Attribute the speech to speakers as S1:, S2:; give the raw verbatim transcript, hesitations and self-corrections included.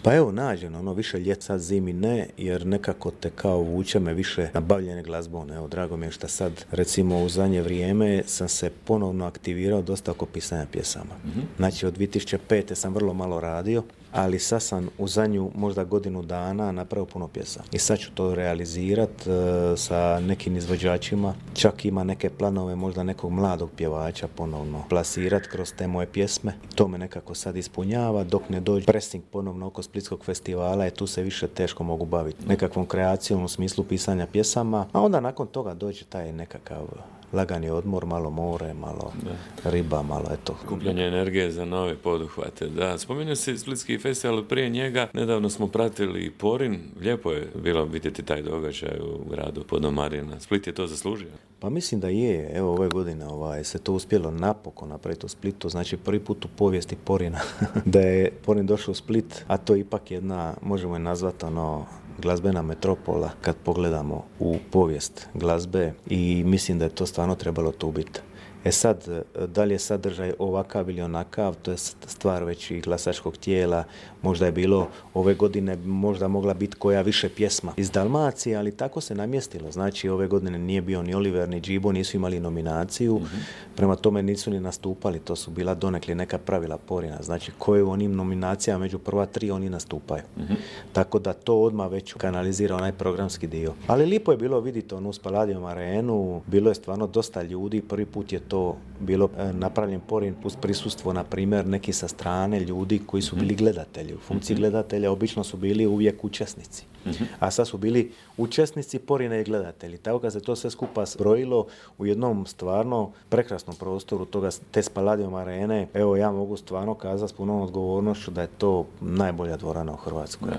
S1: Pa evo, nađeno, ono više ljet, sad zimi ne, jer nekako te kao vuče me više na bavljenje glazbom. Evo, drago mi je što sad, recimo u zadnje vrijeme sam se ponovno aktivirao dosta oko pisanja pjesama. Mm-hmm. Znači, od dvije tisuće pete sam vrlo malo radio, ali sad sam u zadnju možda godinu dana napravio puno pjesa. I sad ću to realizirati e, sa nekim izvođačima. Čak ima neke planove možda nekog mladog pjevača ponovno plasirati kroz te moje pjesme. To me nekako sad ispunjava dok ne dođe pressing ponovno oko Splitskog festivala i tu se više teško mogu baviti nekakvom kreacijom u smislu pisanja pjesama. A onda nakon toga dođe taj nekakav lagani odmor, malo more, malo da. riba, malo eto.
S2: Kupljanje energije za nove poduhvate. Da, spomenuo si Splitski festival, prije njega nedavno smo pratili Porin. Lijepo je bilo vidjeti taj događaj u gradu Podomarina. Split je to zaslužio?
S1: Pa mislim da je. Evo ove godine ovaj, se to uspjelo napokon napraviti u Splitu. Znači prvi put u povijesti Porina da je Porin došao u Split, a to je ipak jedna, možemo je nazvati ono, glazbena metropola kad pogledamo u povijest glazbe i mislim da je to stvarno trebalo tu biti. E sad, da li je sadržaj ovakav ili onakav, to je stvar već i glasačkog tijela. Možda je bilo ove godine, možda mogla biti koja više pjesma iz Dalmacije, ali tako se namjestilo. Znači, ove godine nije bio ni Oliver, ni Džibo, nisu imali nominaciju, mm-hmm. prema tome nisu ni nastupali, to su bila donekli neka pravila Porina. Znači, koje u onim nominacijama među prva tri oni nastupaju. Mm-hmm. Tako da to odmah već kanalizira onaj programski dio. Ali lijepo je bilo vidjeti onu Spaladium arenu, bilo je stvarno dosta ljudi, prvi put je to bilo e, napravljen Porin uz prisustvo, na primjer, neki sa strane ljudi koji su bili gledatelji. U funkciji mm-hmm. gledatelja obično su bili uvijek učesnici. Mm-hmm. A sad su bili učesnici Porina i gledatelji. Tako kad se to sve skupa zbrojilo u jednom stvarno prekrasnom prostoru toga, te Spaladium arene, evo ja mogu stvarno kazati s punom odgovornošću da je to najbolja dvorana u Hrvatskoj. Yeah.